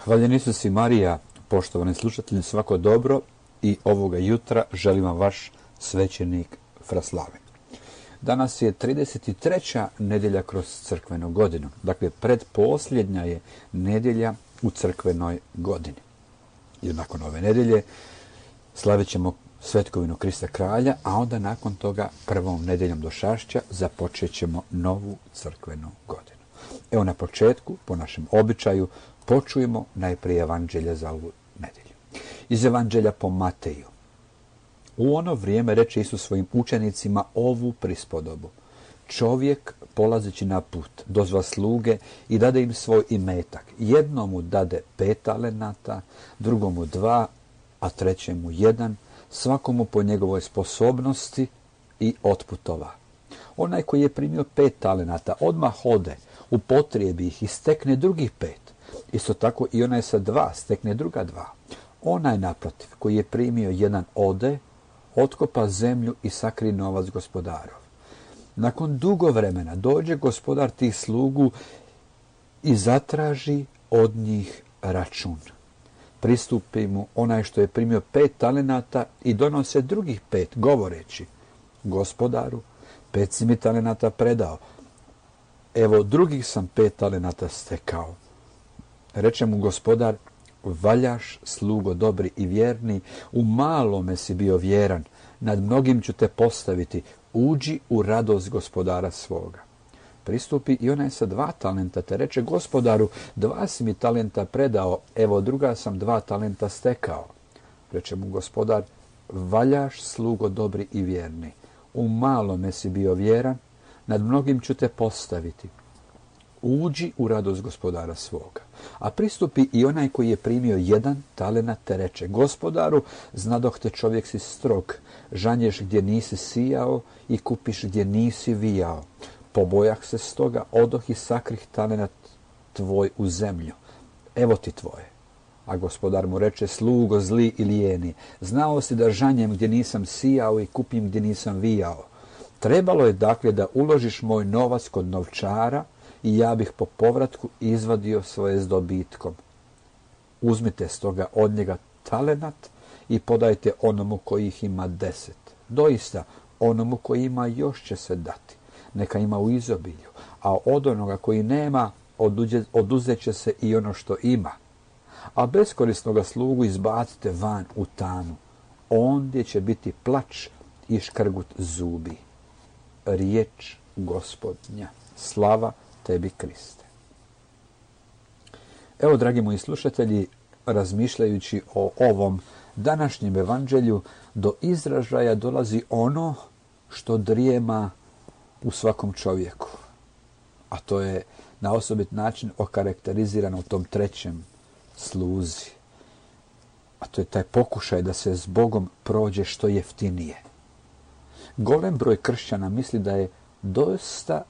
Hvaljen Isus i Marija, poštovani slušatelji, svako dobro i ovoga jutra želim vam vaš svećenik Fraslavin. Danas je 33. nedjelja kroz crkvenu godinu, dakle predposljednja je nedjelja u crkvenoj godini. I nakon ove nedjelje slavit ćemo svetkovinu Krista Kralja, a onda nakon toga prvom nedjeljom došašća započet ćemo novu crkvenu godinu. Evo na početku, po našem običaju, počujemo najprije evanđelje za ovu nedjelju. Iz evanđelja po Mateju. U ono vrijeme reče Isus svojim učenicima ovu prispodobu. Čovjek, polazeći na put, dozva sluge i dade im svoj imetak. Jednomu dade 5 talenata, drugomu 2, a trećemu 1, svakomu po njegovoj sposobnosti i otputova. Onaj koji je primio 5 talenata odmah ode, upotrijebi ih i stekne drugih 5. Isto tako i onaj sa 2 stekne druga 2. Onaj naprotiv koji je primio 1 ode, otkopa zemlju i sakri novac gospodarov. Nakon dugo vremena dođe gospodar tih slugu i zatraži od njih račun. Pristupi mu onaj što je primio 5 talenata i donose drugih 5, govoreći: Gospodaru, 5 si mi talenata predao, evo drugih sam 5 talenata stekao. Reče mu gospodar: valjaš, slugo dobri i vjerni, u malome si bio vjeran, nad mnogim ću te postaviti, uđi u radost gospodara svoga. Pristupi i onaj sa 2 talenta, te reče: Gospodaru, 2 si mi talenta predao, evo druga sam 2 talenta stekao. Reče mu gospodar: valjaš, slugo dobri i vjerni, u malome si bio vjeran, nad mnogim ću te postaviti, uđi u radost gospodara svoga. A pristupi i onaj koji je primio 1 talenat, te reče: Gospodaru, znadoh te čovjek si strog, žanješ gdje nisi sijao i kupiš gdje nisi vijao. Pobojah se stoga, odoh i sakrih talenat tvoj u zemlju. Evo ti tvoje. A gospodar mu reče: slugo zli i lijeni, znao si da žanjem gdje nisam sijao i kupim gdje nisam vijao. Trebalo je dakle da uložiš moj novac kod novčara i ja bih po povratku izvadio svoje s dobitkom. Uzmite stoga od njega talenat i podajte onomu koji ih ima 10. Doista, onomu koji ima još će se dati, neka ima u izobilju, a od onoga koji nema oduzet će se i ono što ima. A beskorisnoga slugu izbacite van u tamu, ondje će biti plač i škrgut zubi. Riječ Gospodnja. Slava tebi, Kriste. Evo, dragi moji slušatelji, razmišljajući o ovom današnjem evanđelju, do izražaja dolazi ono što drijema u svakom čovjeku. A to je na osobit način okarakterizirano u tom 3. sluzi. A to je taj pokušaj da se s Bogom prođe što jeftinije. Golem broj kršćana misli da je dosta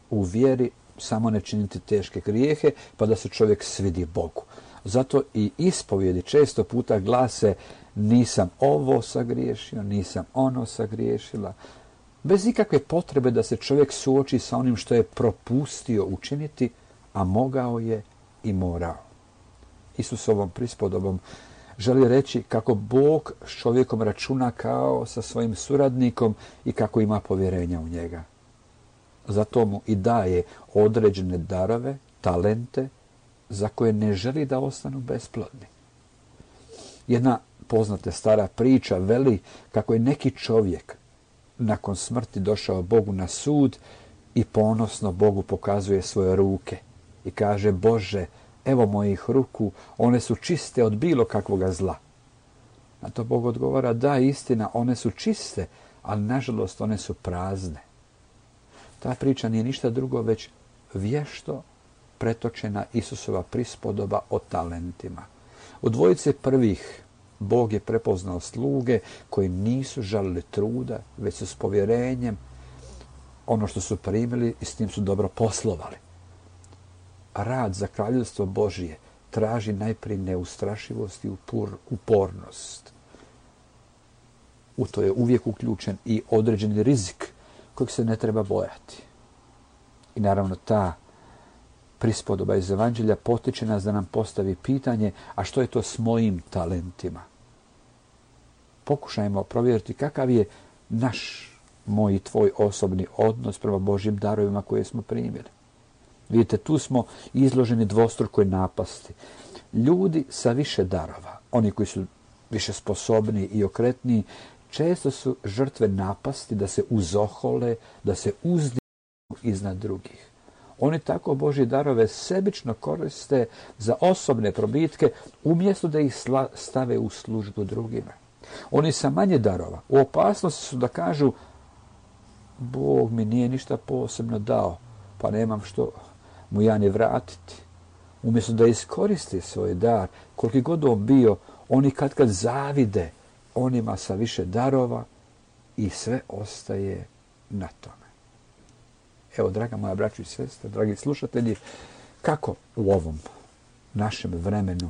u vjeri samo ne činiti teške grijehe, pa da se čovjek svidi Bogu. Zato i ispovjedi često puta glase: nisam ovo sagriješio, nisam ono sagriješila. Bez ikakve potrebe da se čovjek suoči sa onim što je propustio učiniti, a mogao je i morao. Isus ovom prispodobom želi reći kako Bog s čovjekom računa kao sa svojim suradnikom i kako ima povjerenja u njega. Zato mu i daje određene darove, talente, za koje ne želi da ostanu besplodni. Jedna poznata stara priča veli kako je neki čovjek nakon smrti došao Bogu na sud i ponosno Bogu pokazuje svoje ruke i kaže: Bože, evo mojih ruku, one su čiste od bilo kakvoga zla. Na to Bog odgovara: da, istina, one su čiste, ali nažalost one su prazne. Ta priča nije ništa drugo već vješto pretočena Isusova prispodoba o talentima. U dvojice prvih Bog je prepoznao sluge koji nisu žalili truda, već su s povjerenjem ono što su primili i s tim su dobro poslovali. Rad za kraljevstvo Božije traži najprije neustrašivost i upornost. U to je uvijek uključen i određeni rizik kojeg se ne treba bojati. I naravno ta prispodoba iz Evanđelja potiče nas da nam postavi pitanje, a što je to s mojim talentima? Pokušajmo provjeriti kakav je naš, moj i tvoj osobni odnos prema Božjim darovima koje smo primili. Vidite, tu smo izloženi dvostrukoj napasti. Ljudi sa više darova, oni koji su više sposobni i okretniji, često su žrtve napasti da se uzohole, da se uzdignu iznad drugih. Oni tako Božje darove sebično koriste za osobne probitke, umjesto da ih stave u službu drugima. Oni sa manje darova u opasnosti su da kažu: Bog mi nije ništa posebno dao, pa nemam što mu ja ne vratiti. Umjesto da iskoriste svoj dar, koliki god on bio, oni kad zavide onima sa više darova i sve ostaje na tome. Evo, draga moja braćo i sestre, dragi slušatelji, kako u ovom našem vremenu,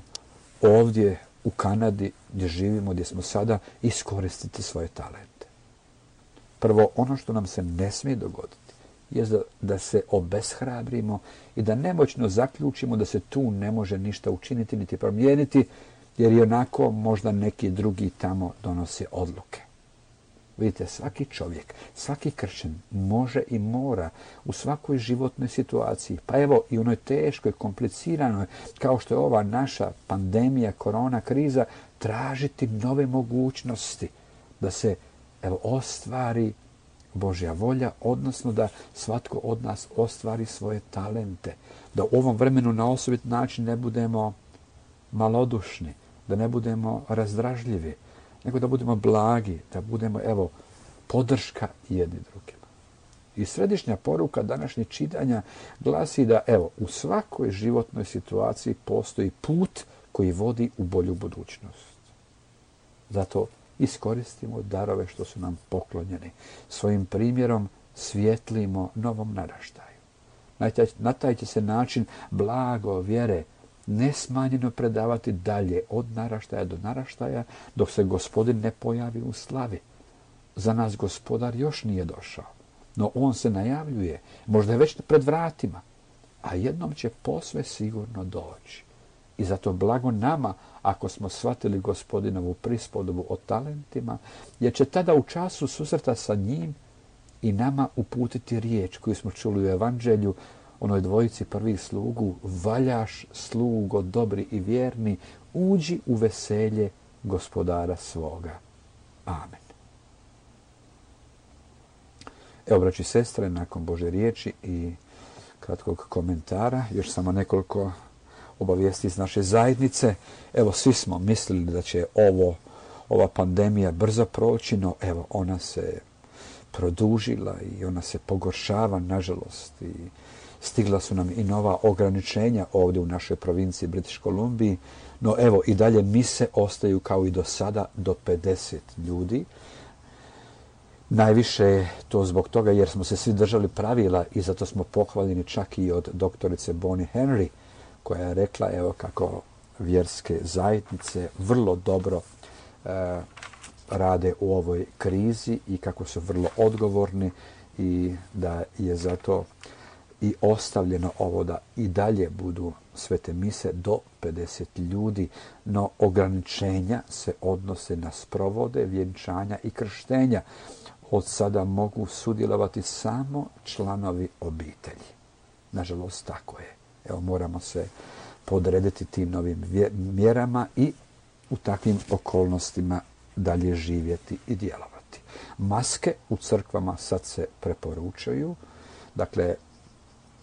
ovdje u Kanadi gdje živimo, gdje smo sada, iskoristiti svoje talente. Prvo, ono što nam se ne smije dogoditi je da se obeshrabrimo i da nemoćno zaključimo da se tu ne može ništa učiniti niti promijeniti, jer i onako možda neki drugi tamo donose odluke. Vidite, svaki čovjek, svaki kršćan može i mora u svakoj životnoj situaciji, pa evo i onoj teškoj, kompliciranoj, kao što je ova naša pandemija, korona kriza, tražiti nove mogućnosti da se ostvari Božja volja, odnosno da svatko od nas ostvari svoje talente. Da u ovom vremenu na osobit način ne budemo malodušni, da ne budemo razdražljivi, nego da budemo blagi, da budemo, podrška jedni drugima. I središnja poruka današnjeg čitanja glasi da, u svakoj životnoj situaciji postoji put koji vodi u bolju budućnost. Zato iskoristimo darove što su nam poklonjeni. Svojim primjerom svijetlimo novom naraštaju. Na taj će se način blago vjere nesmanjeno predavati dalje od naraštaja do naraštaja, dok se Gospodin ne pojavi u slavi. Za nas Gospodar još nije došao, no on se najavljuje, možda je već pred vratima, a jednom će posve sigurno doći. I zato blago nama ako smo shvatili Gospodinovu prispodobu o talentima, jer će tada u času susreta sa njim i nama uputiti riječ koju smo čuli u Evanđelju, onoj dvojici prvih slugu: valjaš slugo dobri i vjerni, uđi u veselje Gospodara svoga. Amen. Evo, braći i sestre, nakon Božje riječi i kratkog komentara, još samo nekoliko obavijesti iz naše zajednice. Evo, svi smo mislili da će ova pandemija brzo proći, no ona se produžila i ona se pogoršava, nažalost, i stigla su nam i nova ograničenja ovdje u našoj provinciji British Columbiji, no i dalje mise ostaju kao i do sada do 50 ljudi. Najviše je to zbog toga jer smo se svi držali pravila i zato smo pohvaljeni čak i od doktorice Bonnie Henry, koja je rekla kako vjerske zajednice vrlo dobro rade u ovoj krizi i kako su vrlo odgovorni i da je zato i ostavljeno ovo da i dalje budu svete mise do 50 ljudi, no ograničenja se odnose na sprovode, vjenčanja i krštenja. Od sada mogu sudjelovati samo članovi obitelji. Nažalost, tako je. Moramo se podrediti tim novim mjerama i u takvim okolnostima dalje živjeti i djelovati. Maske u crkvama sad se preporučuju. Dakle,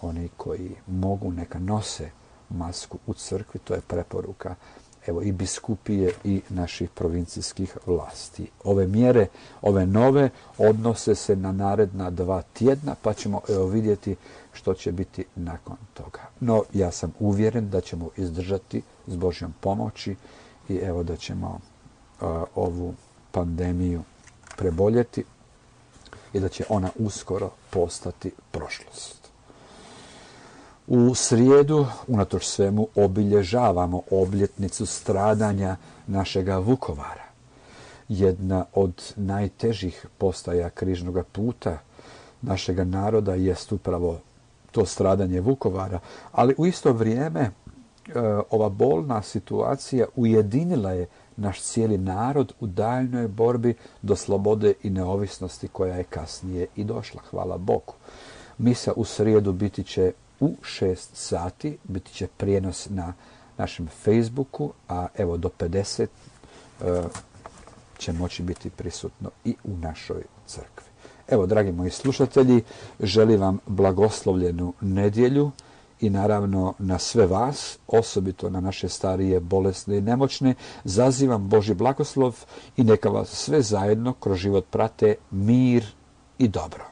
oni koji mogu neka nose masku u crkvi, to je preporuka i biskupije i naših provincijskih vlasti. Ove mjere, ove nove, odnose se na naredna 2 tjedna, pa ćemo vidjeti što će biti nakon toga. No, ja sam uvjeren da ćemo izdržati s Božjom pomoći i da ćemo ovu pandemiju preboljeti i da će ona uskoro postati prošlost. U srijedu, unatoč svemu, obilježavamo obljetnicu stradanja našega Vukovara. Jedna od najtežih postaja križnog puta našega naroda jest upravo to stradanje Vukovara, ali u isto vrijeme ova bolna situacija ujedinila je naš cijeli narod u daljnjoj borbi do slobode i neovisnosti koja je kasnije i došla, hvala Bogu. Misa u srijedu biti će u 6 sati, biti će prijenos na našem Facebooku, a evo do 50 će moći biti prisutno i u našoj crkvi. Evo, dragi moji slušatelji, želim vam blagoslovljenu nedjelju i naravno na sve vas, osobito na naše starije, bolesne i nemoćne, zazivam Božji blagoslov i neka vas sve zajedno kroz život prate mir i dobro.